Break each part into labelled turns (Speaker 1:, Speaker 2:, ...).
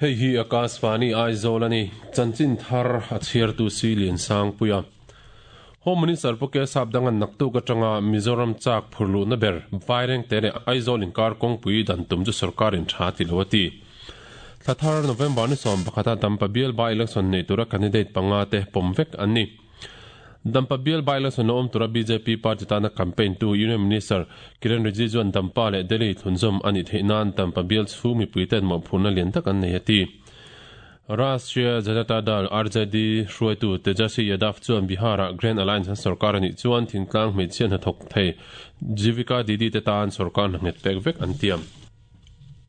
Speaker 1: Hei hi Akashvani Aizawl a ni. Chanchin thar a chhiartu si Liansangpuia. Home Minister Pu K Sapdanga'n naktuk atanga Mizoram chak phur luhna ber Vairengte leh Aizawl inkar kawngpui dan tum chu sorkarin tha ti lo a ti. Thla thar November ni 11 a Dampa bial by-election nei tura candidate panga te pawm vek an ni. Dampa bial by-election lo awm tura bjp party tana campaign tu Union Minister Kiren Rijiju an Dampa leh Delhi thlunzawm a nih theih nan Dampa bial chhung mipuiten mawhphurhna lian tak an nei a ti. Rashtriya Janata Dal, RJD, hruaitu Tejaswi Yadav chuan Bihar-ah Grand Alliance an sorkar a nih chuan thingtlang hmeichhia hnathawk thei Jivika Didi te tan sorkar hna nghet pek vek an tiam.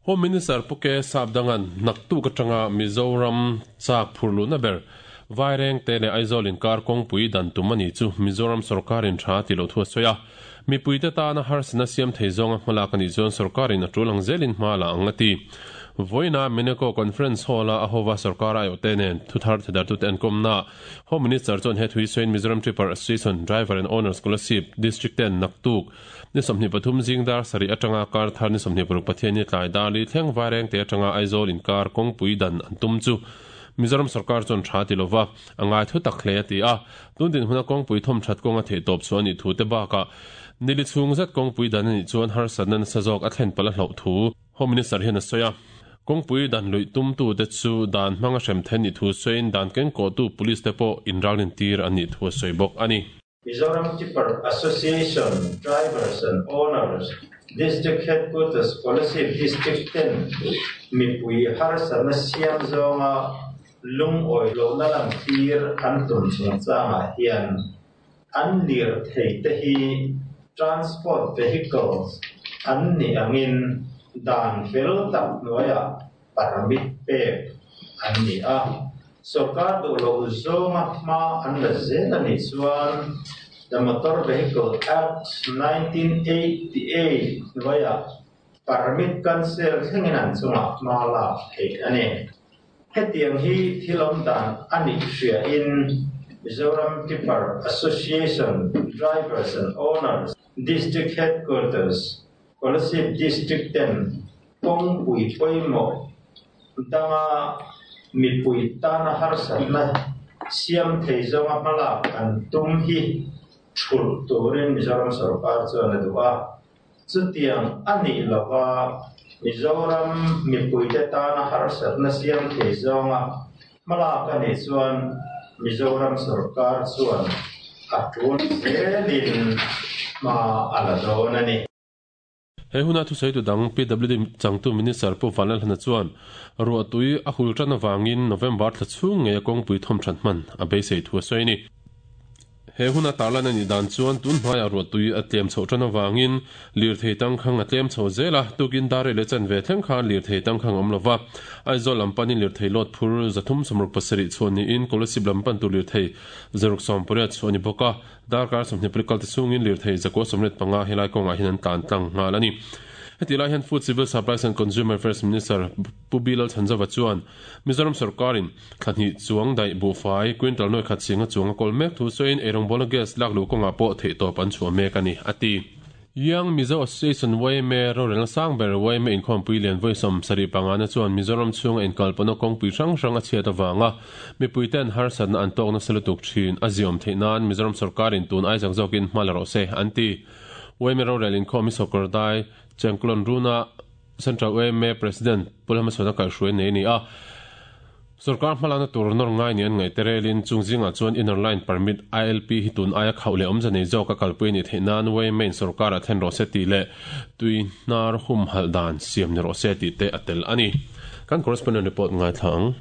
Speaker 1: Home Minister Pu K Sapdanga'n naktuk atanga Mizoram chak phur luhna ber Vairengte leh Aizawl inkar kawngpui dan tum a ni chu Mizoram sorkarin tha ti lo thu a sawi a. Mipuite tana harsatna siam thei zawnga hmalak a nih chuan sorkarin a tul ang zelin hma la ang a ti. Vawiina Meneko Conference Hall-a a hova sorkar aiawhte nen thuthar thedartute an kawmna Home Minister chuan he thui sawiin Mizoram Tripper Association Driver and Owner Scholarship District ten naktuk Ni 23 zing dar sarih atanga kar thar ni 26 Pathianni tlai dar li thleng Vairengte atanga Aizawl inkar kawngpui dan an tum chu Mizoram sorkar chuan tha ti lova a ngai thu tak hle a ti a. Tun dinhmuna kawngpui thawm that kawnga theihtawp chu a nih thu te bakah nili chhung zet kawngpui dan a nih chuan harsatna nasa zawk a thlen palh a hlauh thu Home Minister hian a sawi a. Kawngpui dan luih tumtute chu dan hmanga hrem then nih thu sawiin dan kengkawhtu police te pawh inralin tir an nih thu a sawi bawk a ni.
Speaker 2: Mizoram Tipper Association Drivers and Owners District Headquarters Kolasib District ten mipui harsatna siam zawnga lungawi lohna lantir an tum chungchangah hian an lirthei te hi transport vehicles an nih angin dan fel tak hnuaiah permit pek an ni a. Sorkar duh loh zawnga hma an la zel a nih chuan The Motor Vehicle Act 1988 hnuaiah permit cancel thlengin an chungah hma lak theih a ni. Hetiang hi thil awm dan a nih hriain Mizoram Tipper Association Drivers and Owners District Headquarters Kolasib District ten kawngpui pawimawh danga mipui tana harsatna siam thei zawnga hmalak an tum hi thulh turin Mizoram sorkar chuan a duh a. Chutiang a nih lova Mizoram mipuite tana harsatna siam thei zawnga hmalak a nih chuan Mizoram sorkar chuan a tul zelin hma a la dawn a ni.
Speaker 1: He huna thusawitu dang PWD changtu Minister Pu Vanlalhlana chuan ruahtui a hul tan avangin November thla chhung ngei a kawngpui thawm that hman a beisei thu a sawi a ni. He huna tarlan a nih dan chuan tun hnuaiah ruahtui a tlem chhoh tan avangin lirthei tangkhang a tlem chho zel a, tukin dar rei leh chanve thleng khan lirthei tangkhang a awm lova. Aizawl lam panin lirthei lawt phur 367 chhuah niin Kolasib lam pan tur lirthei 680 chhuah a ni bawk a. Darkar 20 kal te chhungin lirthei 185 helai kawngah hian an tlan tlang nghal a ni. Heti lai hian Food Civil Supplies and Consumer Affairs Minister Pu Bilal Chhanzova chuan Mizoram sorkarin thla hnih chuang daih buhfai quintal nuai khat singa chuang a kawl mek thu sawiin eirawngbawlna gas lak luh kawngah pawh theihtawp an chhuah mek a ni, a ti. Young Mizo Association, YMA, rorelna sang ber YMA inkhawmpui lian vawi 75 na chuan Mizoram chhunga inkalpawhna kawngpui hrang hrang a chhiat avanga mipuiten harsatna an tawk nasa lutuk thin a ziawm theih nan Mizoram sorkarin tun ai zak zawkin hma la rawh se, an ti. YMA rorel inkhawm hi sawrkar dai Chengklon Runa Central YMA President Pu Lalhmachhuana kaihhruai nei a ni a. Sorkar hmalakna tur nawr ngai ni an ngaih te relin chung zingah chuan Inner Line Permit, ILP, hi tun aia khauh leh awmze nei zawk a kalpui a nih theih nan YMA in sorkar a thlen rawh se tih leh tui hnar humhalh dan siam ni rawh se tih te a tel a ni. Kan correspondent report ngaithla ang.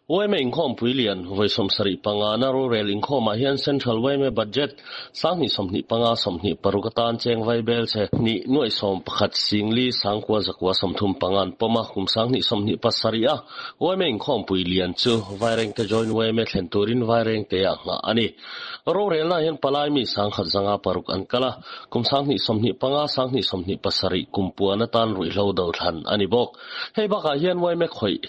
Speaker 3: YMA inkhawmpui lian vawi 75 na rorel inkhawmah hian Central YMA budget 2025 26 atan cheng vai bel che hnih nuaih 11 singli sangkua zakua 35 an pawm a, kum 2027 a YMA inkhawmpui lian chu Vairengte Joint YMA thlen turin Vairengte ah nghah a ni. Rorelna hian palai mi 1056 an kal a, kum 2025 2027 kum puan atan ruihhlo do thlan a ni bawk. Hei bakah hian YMA khawih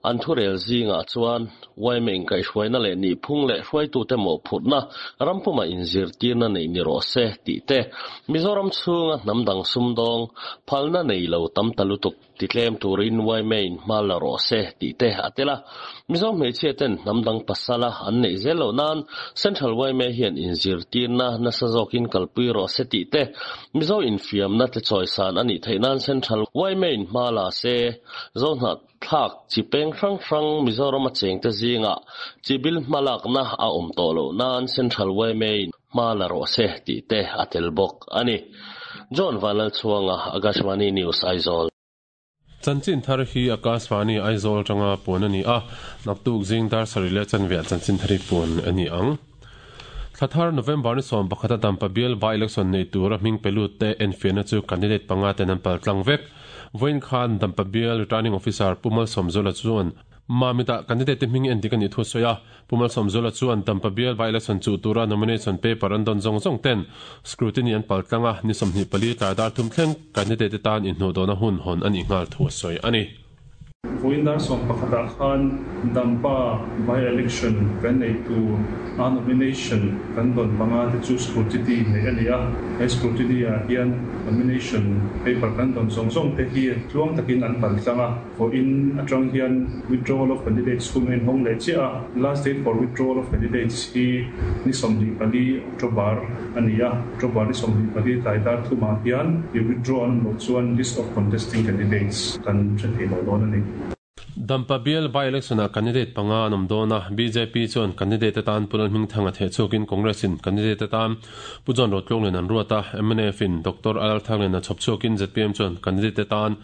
Speaker 3: an thurel zingah chuan yma inkaihhruaina leh nihphung leh hruaitute mawhphurhna rampuma inzirtirna neih ni rawh se tih te, Mizoram chhunga hnam dang sumdawng phalna nei lo tam ta lutuk titlem turin yma in hma la rawh se tih te a tel a. Mizo hmeichhia ten hnam dang pasala an neih zel loh nan Central yma hian inzirtirna nasa zawkin kalpui rawh se tih te, Mizo infiamna te chawisan a nih theih nan Central yma in hma la se, Zohnah thlak chi peng hrang hrang Mizoram a chengte zingah chibil hmalakna a awm tawh loh nan Central yma in hma la rawh se tih te a tel bawk a ni. John Vanlalchhuanga, Akashvani News, Aizawl.
Speaker 1: Chanchin thar hi Akashvani Aizawl atanga puan a ni a, naktuk zing dar sarih leh chanveah chanchin thar hi puan a ni ang. Thla thar November ni 11 a Dampa bial by-election nei tura hming pe lut te enfiahna chu candidate panga ten an pal tlang vek. Vawiin khan Dampa bial Returning Officer Pu Malsawmzuala chuan Mamit-ah candidate te hming endik a nih thu a sawi a. Pu Malsawmzuala chuan Dampa bial by-election chuh tura nomination paper an dawn zawng zawng ten scrutiny an pal tlang a, ni 24 tlai dar thum thleng candidate te tan inhnuhdawhna hun hawn a nih nghal thu a sawi a ni.
Speaker 4: Vawiin dar 11 ah khan Dampa by-election kan nei tur a nomination kan dawn panga te chu scrutiny neih a ni a, he scrutiny ah hian nomination paper kan dawn zawng zawng te hi tluang takin an pal tlang a, vawiin atang hian withdrawal of candidates hun a inhawng leh chiah a, last date for withdrawal of candidates hi ni 24 October a ni a, October ni 24 tlai dar thumah hian i withdraw an awm loh chuan list of contesting candidates kan hre thei lo dawn a ni.
Speaker 1: Dampa bial by-election-ah candidate panga an awm dawn a, bjp chuan candidate atan Pu Lalhmingthanga theh chhuakin Congress-in candidate atan Pu John Rotlunglin an ruat a, MNF-in Doctor Alalthanglin a chhawp chhuakin zpm chuan candidate atan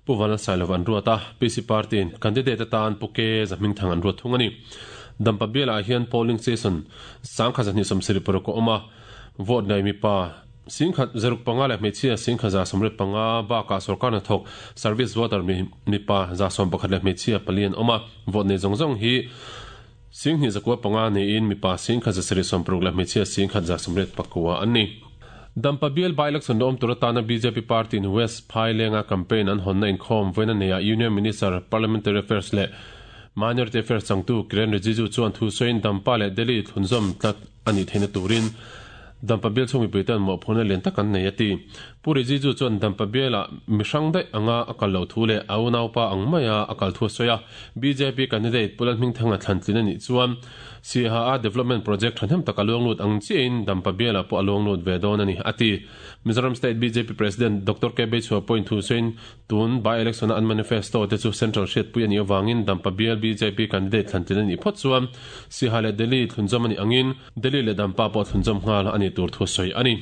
Speaker 1: Pu Vanlalsailova an ruat a, PC Party-in candidate atan Pu K Zahmingthanga an ruat thung a ni. Dampa bialah hian polling station 1276 a awm a, vote nei mipa 1065 leh hmeichhia 1185 bakah sorkar hnathawk service voter mipa 11 leh hmeichhia pali an awm a, vote nei zawng zawng hi 2905 niin mipa 1176 leh hmeichhia 1189 an ni. Dampa bial by-election la awm tur atana bjp party in West Phailenga campaign an hawnna inkhawm vawiin a neiah Union Minister Parliamentary Affairs leh Minority Affairs changtu Kiren Rijiju chuan thu sawiin Dampa leh Delhi thlunzawm tlat a nih theihna turin Dampa bial chhung mipui ten mawhphurhna lian tak an nei a ti. Pu Rijiju chuan Dampa bialah mi hrang daih anga a kal loh thu leh a unaupa ang maia a kal thu a sawi a. Bjp candidate Pu Lalhmingthanga thlantlin a nih chuan Siaha Development Project thahnem tak a luang lut ang chiahin Dampa bialah pawh a luang lut ve dawn a ni a ti. Mizoram State bjp President Doctor K Beichhua pawhin thu sawiin Tun by-election a an manifesto te chu Central hriatpui a nih avangin Dampa bial bjp candidate thlantlin a nih phawt chuan Siaha leh Delhi thlunzawm a nih angin Delhi leh Dampa pawh thlunzawm nghal a nih tur thu sawi a ni.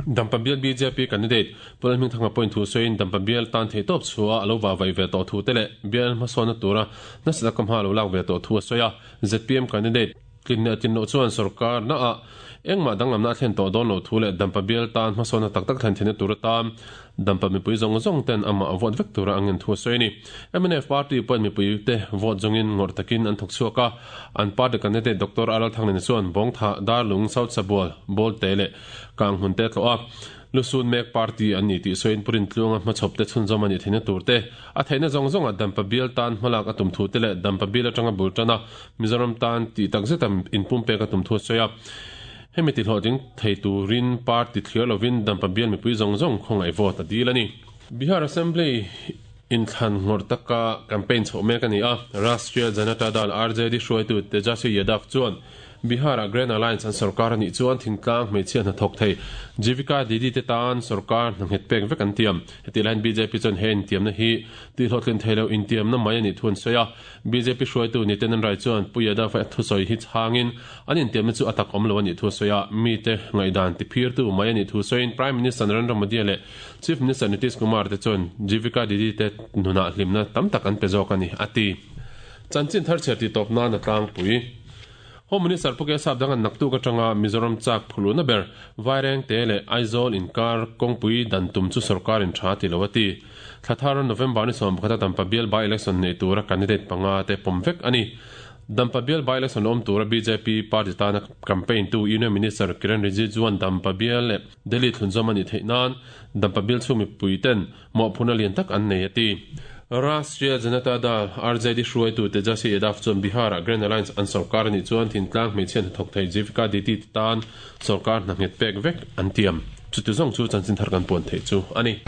Speaker 1: Dampa bial bjp candidate Pu Lalhmingthanga pawhin thu sawiin Dampa bial tan theihtawp chhuah a lo vahvaih ve tawh thu te leh bial hmasawnna tura nasa taka hma lo lak ve tawh thu a sawi a. Zpm candidate Tlin leh tlin loh chuan sorkar naah engmah danglamna a thlen tawh dawn loh thu leh Dampa bial tan hmasawnna tak tak thlen theihna tur atan Dampa mipui zawng zawng ten amah a vote vek tura a ngen thu a sawi a ni. Mnf party pawhin mipui te vote zawngin ngawrh takin an thawk chhuak a, an party candidate Doctor RL Thanglena chuan Bawngthah, Darlung, South Sabual, Bawlte leh Kanghmun te a tlawh a. Lusun mek party an ni tih sawiin Pu Rintluanga hmachhawp te chhunzawm a nih theihna tur te, a theihna zawng zawngah Dampa bial tan hmalak a tum thu te leh Dampa bial atanga bul tana Mizoram tan tih tak zeta inpumpek a tum thu a sawi a. Hemi tihlawhtling thei turin party thliar lovin Dampa bial mipui zawng zawng khawngaih vote a dil a ni. Bihar Assembly inthlan ngawrh taka campaign chhoh mek a ni a, Rashtriya Janata Dal, RJD, hruaitu Tejaswi Yadav chuan Bihar-ah Grand Alliance an sorkar a nih chuan thingtlang hmeichhia hnathawk thei Jeevika Didi te tan sorkar hna nghet pek vek an tiam. Hetih laiin bjp chuan he intiamna hi tihhlawhtlin thei lo intiamna mai a nih thu an sawi a. Bjp hruaitu Nityanand Rai chuan Pu Yadav a thusawi hi chhangin an intiamna chu a tak awm lo a nih thu a sawi a. Mite ngaihdan tiphirtu mai a nih thu sawiin Prime Minister Narendra Modi leh Chief Minister Nitish Kumar te chuan Jeevika Didi te nunah hlimna tam tak an pe zawk a ni, a ti. Chanchin thar chhiar tih tawp nan a tlangpui. Home Minister Pu Kesap Dangan naktuk atanga Mizoram chak phuluna ber Vairengte leh Aizawl inkar kawngpui dan tum chu sorkarin tha ti lo a ti. Thla thar November ni 11 a Dampa bial by-election nei tura candidate panga te pawm vek a ni. Dampa bial by-election awm tura bjp party tana campaign tu Union Minister Kiren Rijiju-a'n Dampa bial leh Delhi thlunzawm a nih theih nan Dampa bial chhung mipui ten mawhphurhna lian tak an nei a ti. Rashtriya Janata Dal, RJD, hruaitu Tejasvi Yadav chuan Bihar-ah Grand Alliance an sorkar a nih chuan thintlang hmeichhia hnathawk thei Jivika Didi te tan sorkar hna nghet pek vek an tiam. Chuti zawng chu chanchin thar kan puan theih chu a ni.